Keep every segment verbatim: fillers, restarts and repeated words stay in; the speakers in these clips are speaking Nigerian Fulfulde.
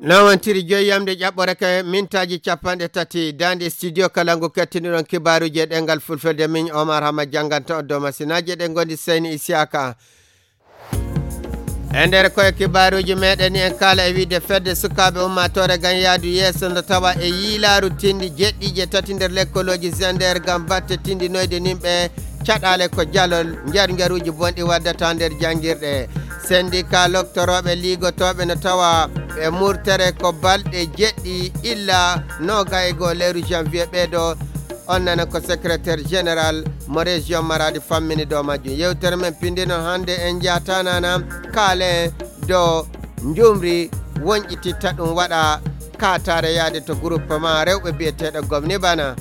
Lawantiri joyyamde ƴaɓɓore ka mintaji capanɗe tati dande studio kalangu kettiniɗon kibaruji e ɗengal fulfelde min Omar Hama janganta on dow masinaji ɗe gondi Seyni Isiaka e nder koye kibaruji meɗen en kala e wiide fedde sukaɓe ummatore gam yaadu yesso nde tawa e yiilaru tindi jeɗɗije tati nder lekkoloji Zender gam batte tindinoyde nimɓe caɗale ko jalol jar jaruji bonɗi waddata nder jangirɗe syndicat loktoroɓe ligotoɓe ne tawa e murtere ko balɗe jeɗɗi illa noga e go lewru janvier ɓeɗo on nana ko secrétaire général mo région Maradi fammini dow majjum yewtere men pindino hande en jatanana kaale do njumri wonƴititta ɗum waɗa katare yaade to groupement rewɓe biyeteɗo gomni bana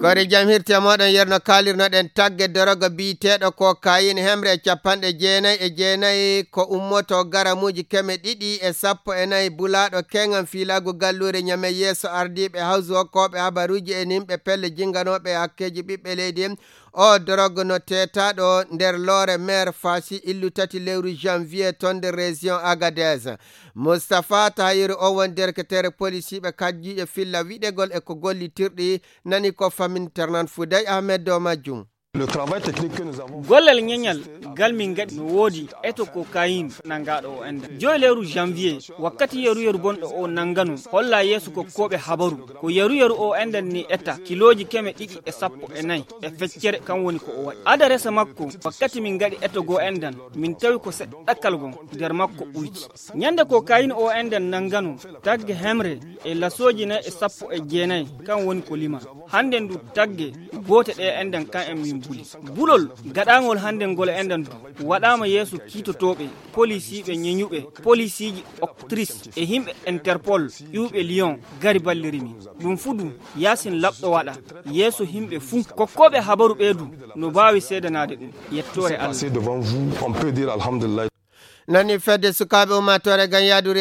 kori jam hirte moɗon yerno kalirnoɗen tagge doroga biyeteɗo ko kayine hemre capanɗe jeenayyi e jeenayyi ko ummoto garamuji keme ɗiɗi e sappo e nayyi bulaɗo kengan filagu gallure ñame yeeso ardiɓe hawsu hokkoɓe habaruji e nimɓe pelle jinganoɓe hakkeji ɓiɓɓe leydi o drogue no tetaɗo nder loore maire Fassi illu tati lewru janvier ton de région Agadez Moustapha Tahiru o won derketere policiɓe kajjiɓe filla wiɗegol e ko gollitirɗi nani ko famin ternan Fouday Ahmed do majjum gollal ñeñal gal min gaɗi no woodi eto ko kayin nangaɗo o enda joyi lewru janvier wakkati yeru yeru bonɗo o nangano holla yeeso ko koɓe habaru ko yeru yeru o endan ni etta kiloji keme ɗiɗi e sappo e nayyi e feccere kan woni ko o waɗi adaresa makko wakkati min gaɗi eto go endan min tawi ko seɗɗa ɗakkal gon nder makko ɓuyki ñande ko kayin o endan nangano tagge hemre e lasoji nayi e sappo e jeenayyi kan woni ko lima hande ndu tagge gote ɗe endan kan en min buli bulol gaɗagol hande ngol endan du waɗama yeeso kiitotoɓe policiɓe ñeñuɓe policiji octrice e himɓe interpol ƴuɓe lyon gari ballirimi ɗum fudu yasin labɗo waɗa yeeso himɓe fuu kokkoɓe habaru ɓeydu no bawi seedanade ɗum yettore Allah nani fedde sukaɓe ummatore gam yaadu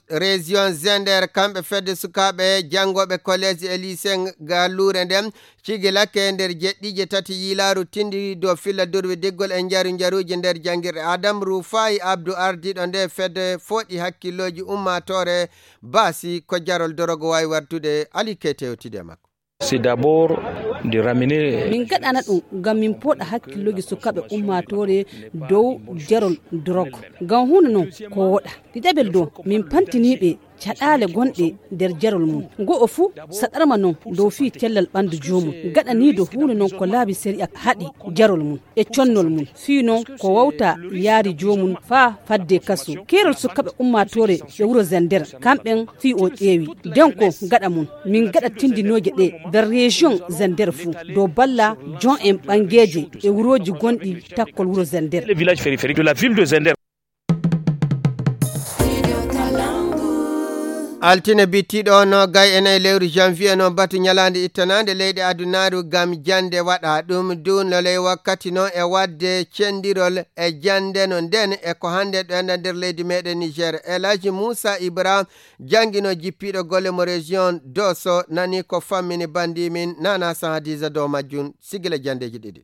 région Zender kamɓe fedde sukaɓe jangoɓe collége e lycée gallure nden cigilakke nder jeɗɗije tati yilaru tindi do filla durwi diggol e jaru jaruji nder jangirɗe Adam Rufai Abdou ardiɗo nde fedde foɗi hakkilloji ummatore basi ko jarol dorogo wawi wartude Ali Kete yewtide makko c'est d'abord de ramener min gaɗana ɗum ngam min poɗa hakkilloji sukaɓe ummatore dow jarol drogue ngam hunde noon ko woɗa ɗiɗaɓel dow min pantiniɓe caɗale gonɗe nder jarol mum go'o fuu saɗarma noon dow fi tellal ɓandu jomum gaɗanido hunde noon ko laabi séria haɗi jarol mum e connol mum fi noon ko wawta yaari jomum fa fadde kaso kerol sukaɓe ummatore e wuuro Zender kamɓen fi o ƴeewi nden ko gaɗa mum min gaɗa tindinoje ɗe nder région Zender fuu dow balla jon en ɓangueje e wuroji gonɗi takkol wuuro Zender le village périphérique de la ville de Zender. altine bittiɗo no gay enayi lewru janvier noon batu ñalande ittanade leydi adunaru gam jande waɗa ɗum dunloley wakkati noon e wadde cendirol e jande no nden e ko hande ɗo enda nder leydi meɗen Niger Elhaji Moussa Ibra jangguino jippiɗo golle mo région Dosso nani ko fammini bandimin Nana Sahadiza dow majjum sigila jandeji ɗiɗi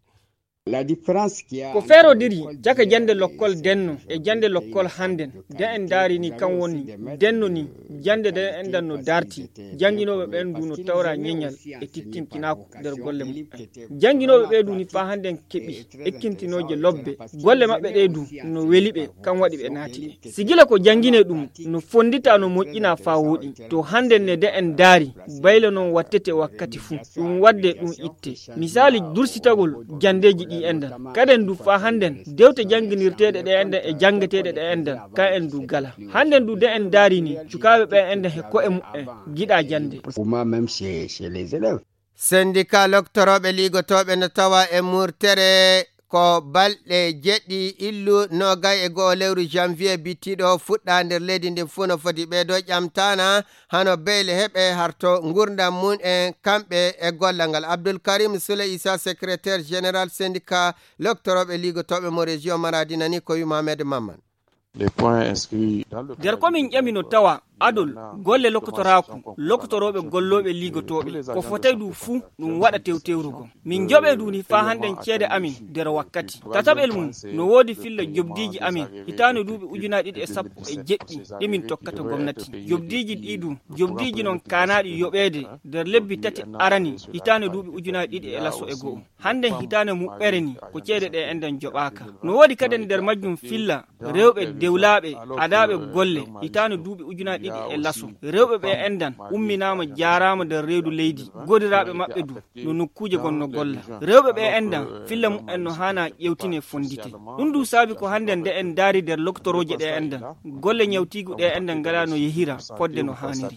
ko feerodiri jaka jande lokkol denno e jande lokkol handen de en daari ni kan woni denno ni jande de endan no darti janginoɓe ɓen du no tawra ñeñal e tittinkinako nder golle maɓɓe janginoɓe ɓe du ni fa handen keɓi ekkintinoje lobbe golle maɓɓe ɗe du no weliɓe kan waɗi ɓe naati ɓe sigila ko jangine ɗum no fondita no moƴƴina fa woɗi to handen ne de en daari bayla noon wattete wakkati fuu ɗum wadde ɗum itte misali dursitagol jandeji ɗi endan kaden du fa handen dewte janginirteɗe ɗe endan e jangeteɗe ɗe endan ka en du gala handen du de en daari ni cukaɓe ɓe endan he ko'e muɓɓe giɗa jande syndicat loktoroɓe ligotoɓe no tawa e murtere ko balɗe jeɗɗi illu nogay e goho lewru janvier bittiɗo fuɗɗa nder leydi ndi fuu no foti ɓeeɗo ƴamtana hano beyle heɓe harto gurdam mum e kamɓe e gollal ngal Abdoul Karim Soule Issa secrétaire général syndicat loktoroɓe ligotoɓe mo région Maradi nani ko wi Mohamed Mamman nder komin ƴami no tawa adol golle lokotoraku lokotoroɓe golloɓe ligotoɓe ko fotay du fuu ɗum waɗa tewtewrugo min joɓe duni fa hannden ceede amin nder wakkati tataɓel mum no woodi filla jobdiji amin hitano duuɓi ujunaji ɗiɗi e sappo e jeɗɗi ɗimin tokkata gomnati jobdiji ɗiɗu jobdiji noon kanaɗi yoɓede nder lebbi tati arani hitano duuɓi ujunaji ɗiɗi e lasso e go'o hannden hitano muɓɓere ni ko ceede ɗe enden joɓaka no woodi kadi nder majjum filla rewɓe dewlaɓe adaɓe golle hitano duuɓi ujunaji ɗiɗi e lasso rewɓe ɓe endan umminama jarama nder reedu leydi godiraɓe maɓɓe du no nokkuje gonno golla rewɓe ɓe endan filla mumen no hana ƴewtine fondite ɗum du saabi ko hande nde en daari nder loktoroje ɗe endan golle ñawtigu ɗe endan ngala no yehira fodde no haniri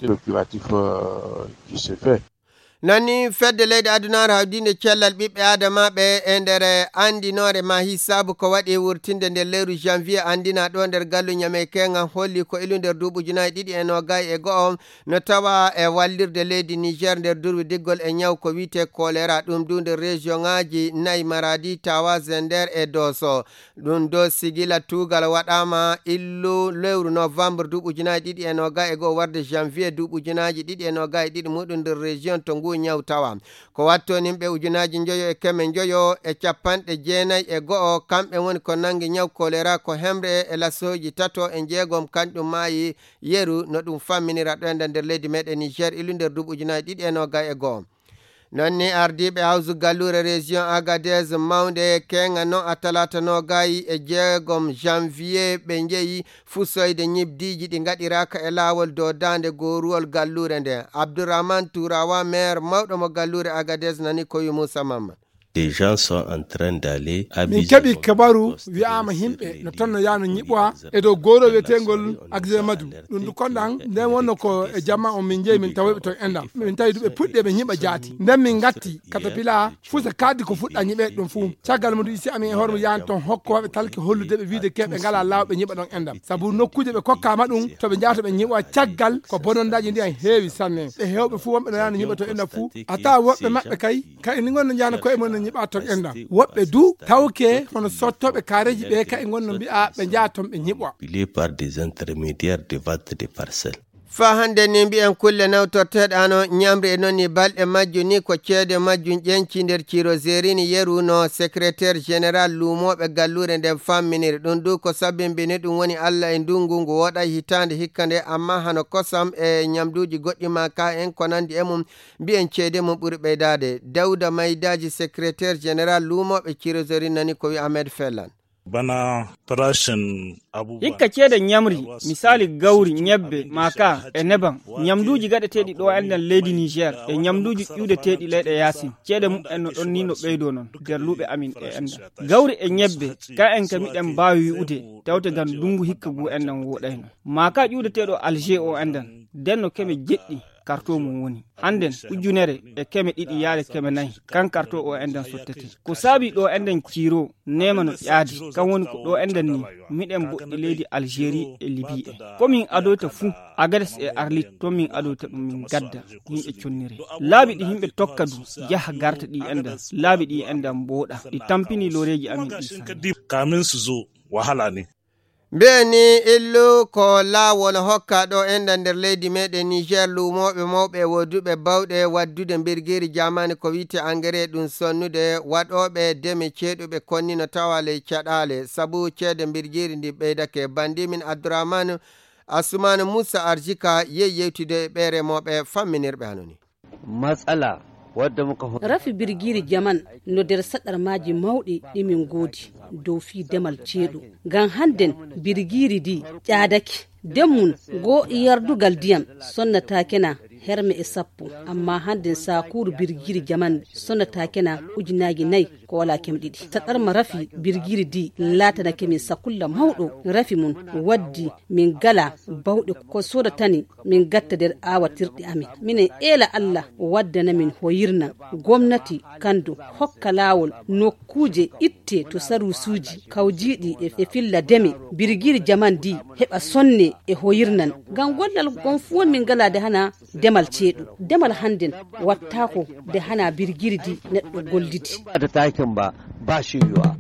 nonni fedde leydi adunaru hawdinde cellal ɓiɓɓe adamaɓe e nder andinore ma hisabu ko waɗi wurtinde nder lewru janvier andina ɗo nder gallu ñame kenga holli ko ilu nder duuɓujunayi ɗiɗi e nogayi e go'o no tawa e wallirde leydi niger nder durwi diggol e ñaw ko wiyete choléra ɗum du nder région ŋaji nayyi maradi tawa zender e doso ɗum do sigila tugal waɗama illu lewru novembre duuɓujunayi ɗiɗi e nogayi e go'o warde janvier duuɓujunaji ɗiɗi e nogayi ɗiɗi muɗum nder région to ngu ñaw tawa ko watto nimɓe ujunaji joyo e keme joyo e capanɗe jeenayi e go'o kamɓe woni ko nangi ñaw choléra ko hemre e lasoji tato e jeegom kanƴum maayi yeru no ɗum famminira ɗo enda nder leydi meɗen niger ilu nder duuɓi ujunaji ɗiɗi e nogayi e go'o nonni ardiɓe hawsu gallure région agadez mawde kenga no a talata nogayi e jeegom janvier ɓe jeeyi fusoyde ñibdiji ɗi gaɗiraka e lawol dow dande goruwol gallure nde abdourahmane tourawa maire mawɗo mo gallure agadez nani koyu moussa mamma des gens sont en train d'aller à min keɓi kabaru wi'ama himɓe no tonno yano ñiɓoa e dow goro wiyetengol axemadu ɗum du konɗan nden wonno ko e jamma on min jeeyi min tawiɓe to endam min tawi duɓe puɗɗi ɓe ñiɓa jaati nden min gatti katapila fusa kaddi ko fuɗɗa ñiɓe ɗum fuu caggal mudu isi amin e hooremo yani toon hokko waɓe talke hollude ɓe wiide keɓe ngala lawɓe ñiɓa ɗon endam saabu nokkuje ɓe kokkama ɗum toɓe jahata ɓe ñiɓoa caggal ko bonondaji ndi en heewi sanne ɓe hewɓe fuu wonɓe no yani ñiɓa to endam fuu ata woɓɓe maɓɓe kay kay ni gonno jahana koye mon ñiɓa ton endam woɓɓe du tawke hono sottoɓe kareji ɓe ka e gonno mbi'a ɓe jaa ton ɓe ñiɓwa par des intermédiaires de vente des parcelles fa hande ni mbi'en kulle nawtorteɗano ñamri e noon ni balɗe majjum ni ko ceede majjum ƴenci nder ciro zerini yeru no secrétaire général luumoɓe gallure nden famminiri ɗum du ko sabimbini ɗum woni allah e ndungu ngu woɗay hitande hikka nde amma hano kosam e ñamduji goɗɗi ma ka en ko nandi e mum mbi'en ceede mum ɓuuri ɓeydade dawda maydaji secrétaire général luumoɓe ciro zerini nani ko wi ahmed fellan bana farashin abubuwa hikka ceede ñamri misali gawri ñebbe maka e neban ñamduji gaɗeteɗi ɗo enden leydi niger e ñamduji ƴuudeteɗi leyɗe yasin ceede mum'en no ɗon ni no ɓeydo noon nder luuɓe amin e enda gawri e ñebbe ka en ka miɗen mbawi wi'ude tawte gam ndungu hikka gu enden woɗayno maka ƴuudeteɗo alger o endan nden no keme jeɗɗi karto mum woni handen ujunere e keme ɗiɗi yaade keme nayi kan karto o enden sottete ko saabi ɗo enden ciiro nema no ƴaadi kan woni ko ɗo enden ni miɗen boɗɗi leydi algérie e libye e komin adoyta fuu agades e arlit to min adoyta ɗum min gadda yimɓe connire laabi ɗi yimɓe tokka du jaha garta ɗi enden laabi ɗi enden mbooɗa ɗi tampini loreji amin ɗi kamin su zo wahala ne mbeni illu ko laawol hokka ɗo enda nder leydi meɗen niger luumoɓe mawɓe woduɓe bawɗe waddude mbirgiri jamani ko wiite engrais ɗum sonnude waɗoɓe deme ceeɗuɓe konnino tawa ley caɗale saabu ceede mbirgiri ndi ɓeydake bandimin abdourahmane assoumane moussa arjika yeyi yewtude ɓe remoɓe famminirɓe hanoni matsala wadda muka rafi birgiri jaman no nder saɗar maji mawɗi ɗimin goodi dow fi demal ceeɗu ngam hannden birgiri di ƴaadake demmun go yardugal diyam sonnatakena herme e sappo amma hannden sakuru birgiri jaman sonnatakena ujunaji nayyi ko wala kem ɗiɗi saɗarma rafi birgiri di latana kemin sakulla mawɗo rafi mum waddi min gala bawɗe ko sodatani min gatta nder awatirɗe amin minen eela allah waddana min hoyirna gomnati kandu hokka lawol nokkuje itte to sarusuji kawjiɗi e filla deme birgiri jaman di heɓa sonne e hoyirnan ngam gollal gon fu won min galade hana demal ceeɗu demal hannden wattako de hana birgiri di neɗɗo gollidi da takin ba ba shi yiwa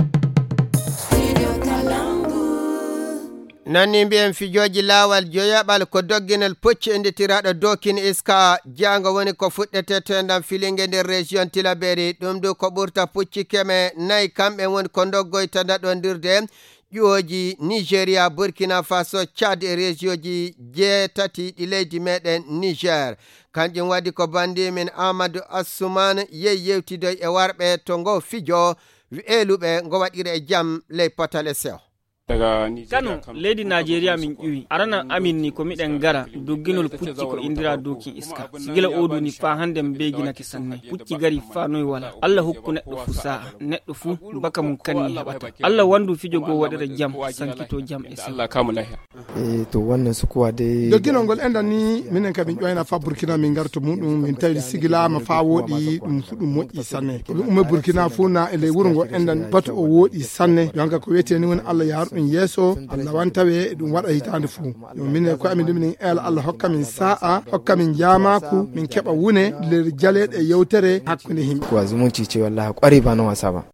nanni mbiyen fijoji lawal joyaɓal ko dogginal pucci enditiraɗo dokin iska jango woni ko fuɗɗete tendam filingue nder région Tilaberi ɗum du ko ɓurta pucci keme nayyi kamɓe woni ko doggoyta ɗaɗodirde ƴuwoji Nigeria, Burkina Faso, Chad e région ji jeetati ɗi leydi meɗen Niger. Kanjum waɗi ko bandimin Amadou Assoumane yehi yewtidoy e warɓe to ngo fijo eluɓe ngo waɗira e jaam ley potale sew. Kano leydi Nigeria min ƴuwi arana amin ni ko miɗen gara dogginol pucci ko indira dokin iska sigila odu ni fa hande beginaki sanne pucci gari fa noy wala Allah hokku neɗɗo fu sa'a neɗɗo fu baka mun kanni heɓata Allah wandu fijo go waɗira jam sankito jam e Allah kamu lahiya e to wannan sukuwa de dogginol ngol endan ni minen kabin ƴoyna fa Burkina min garto muɗum min tawi sigila ma fa wodi ɗum fu ɗum moƴƴi sanne ko ɗum umme Burkina fu na e ley wuro ngo endan bato o wodi sanne yonka ko wiyete ni woni Allah yar ɗum yeso Allah wantawe ɗum waɗa hitande fu yo min ko amin ɗum el Allah hokka min sa'a hokka min jamaku min keɓa wune nder jaleɗe yewtere hakkunde himɓe ko zumunci ce wallahi ƙwari ba na wasa ba.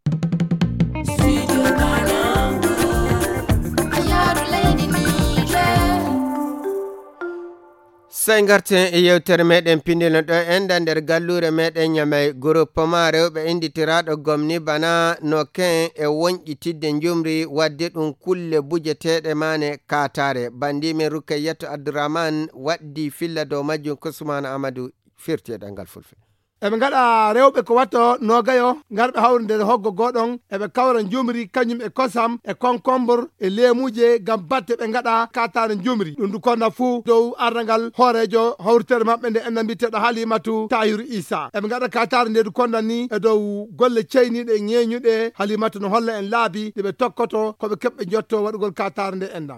Sai garten e yewtere meɗen pindino ɗo enda nder gallure meɗen Ñamey groupement rewɓe inditiraɗo gomni bana no ken e wonƴitidde njumri wadde ɗum kulle bujeteɗe mane katare bandimin Rukayyatu Abdourahmane waddi filla dow majjum Kousmane Amadou firteɗal ngal fulfe. eɓe gaɗa rewɓe ko watto nogayo garɓe hawre nder hoggo goɗon eɓe kawra jumri kañum e kosam e concombre e leemuje gam batte ɓe gaɗa katare jumri ɗum du konna fuu dow ardagal hoorejo hawritere mabɓe nde enna mbiteɗo Halimatu Tahiru Isa eɓe gaɗa katare nde du konnan ni e dow golle ceyniɗe ñeñuɗe Halimatu no holla en laabi ɗeɓe tokkoto koɓe keɓɓe jotto waɗugol katare nde enda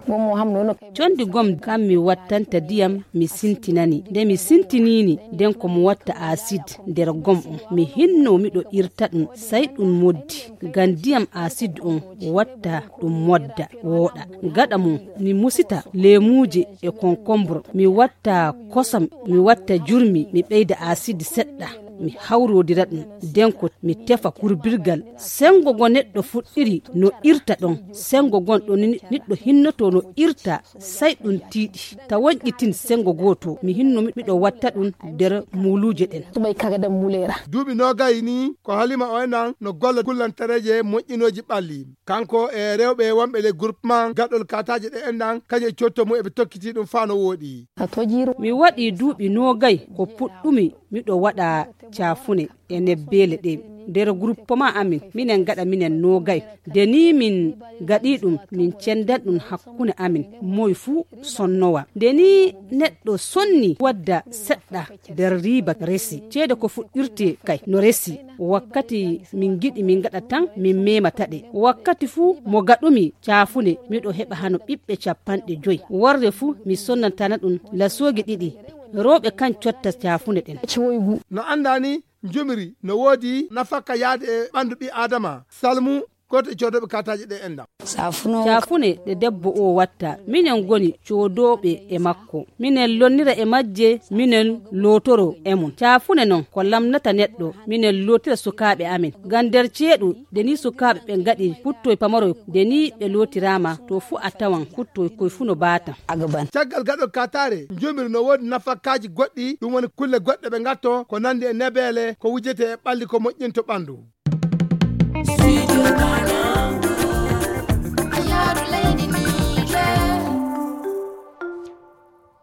condi gom kam mi wattanta diyam mi sintinani nde mi sintinini nden komo watta acide nder gom on mi hinno miɗo irta ɗum sai ɗum moddi ngam ndiyam acide on watta ɗum modda wooɗa gaɗa mum mi musita leemuje e concombre mi watta kosam mi watta jurmi mi ɓeyda acide seɗɗa mi hawrodira ɗum nden ko mi tefa kurbirgal sengo go neɗɗo fuɗɗiri no irta ɗon sengo gon ɗo neɗɗo hinnoto no irta sai ɗum tiiɗi ta wonƴitin sengo goto mi hinno miɗo watta ɗum nder muluje ɗen duuɓi nogayi ni ko Halima o enan no golla kullantareje moƴƴinoji ɓalli kanko e rewɓe wonɓe le groupement gaɗɗol kataje ɗe endan kañum e cotto mum eɓe tokkiti ɗum fa no woɗi mi waɗi duuɓi nogayi ko puɗɗumi miɗo waɗa cafune e nebbele ɗe nder groupement amin minen gaɗa minen nogay de ni min gaɗi ɗum min cendan ɗum hakkunde amin moy fuu sonnowa de ni neɗɗo sonni wadda seɗɗa nder riba resi ceede ko fuɗɗirte kay no resi wakkati min giɗi min gaɗa tan min memataɗe wakkati fuu mo gaɗumi cafunde miɗo heɓa hano ɓiɓɓe capanɗe joyi warde fuu mi sonnantana ɗum lasogi ɗiɗi rewɓe kan cotta cafunde ɗen no andani jumri no woodi nafaka yaade e ɓandu ɓi adama salmu goto e codoɓe kataje ɗe enda cafune ɗe debbo o watta minen goni codoɓe e makko minen lonnira e majje minen lotoro e mum cafune noon ko lamnata neɗɗo minen lotira sukaɓe amin ngam nder ceeɗu deni sukaɓe ɓe gaɗi kuttoye pamaroy deni ɓe lotirama to fu a tawan kuttoye koye fu no bata caggal gaɗol katare jomiri no woodi nafakaji goɗɗi ɗum woni kulle goɗɗe ɓe gatto ko nandi e nebele ko wujete e ɓalli ko moƴƴinto ɓandu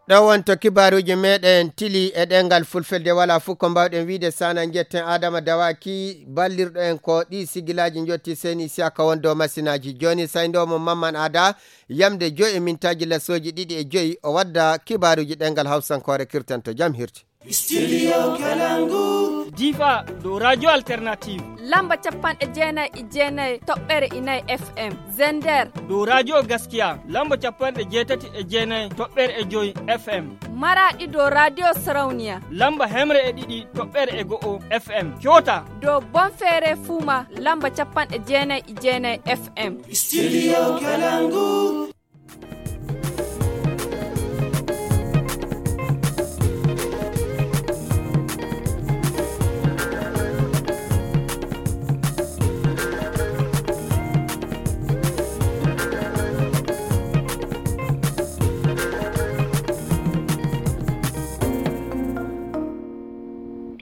ɗo wonto kibaruji meɗen tili e ɗengal fulfelde wala fuu ko mbawɗen wiide sana jetten Adama Dawaki ballirɗo en ko ɗi sigilaji jotti Seni Siaka won dow masinaji joni saydomo Mamman Ada yamde joyi e mintaji lasoji ɗiɗi e joyi o wadda kibaruji ɗengal hawsankore kirtanto jam hirti Studio Kalangu Difa do radio alternative lamba capanɗe jeenayi e jeenayi toɓɓere inayi F M Zender do radio gaskiya lamba capanɗe jeetati e jeenayi toɓɓere e joyi F M Maradi do radio Sarauniya lamba hemre e ɗiɗi toɓɓere e go'o F M Kyota do Bonfere Fuma lamba capanɗe jeenayi e jeenayi F M Studio Kalangu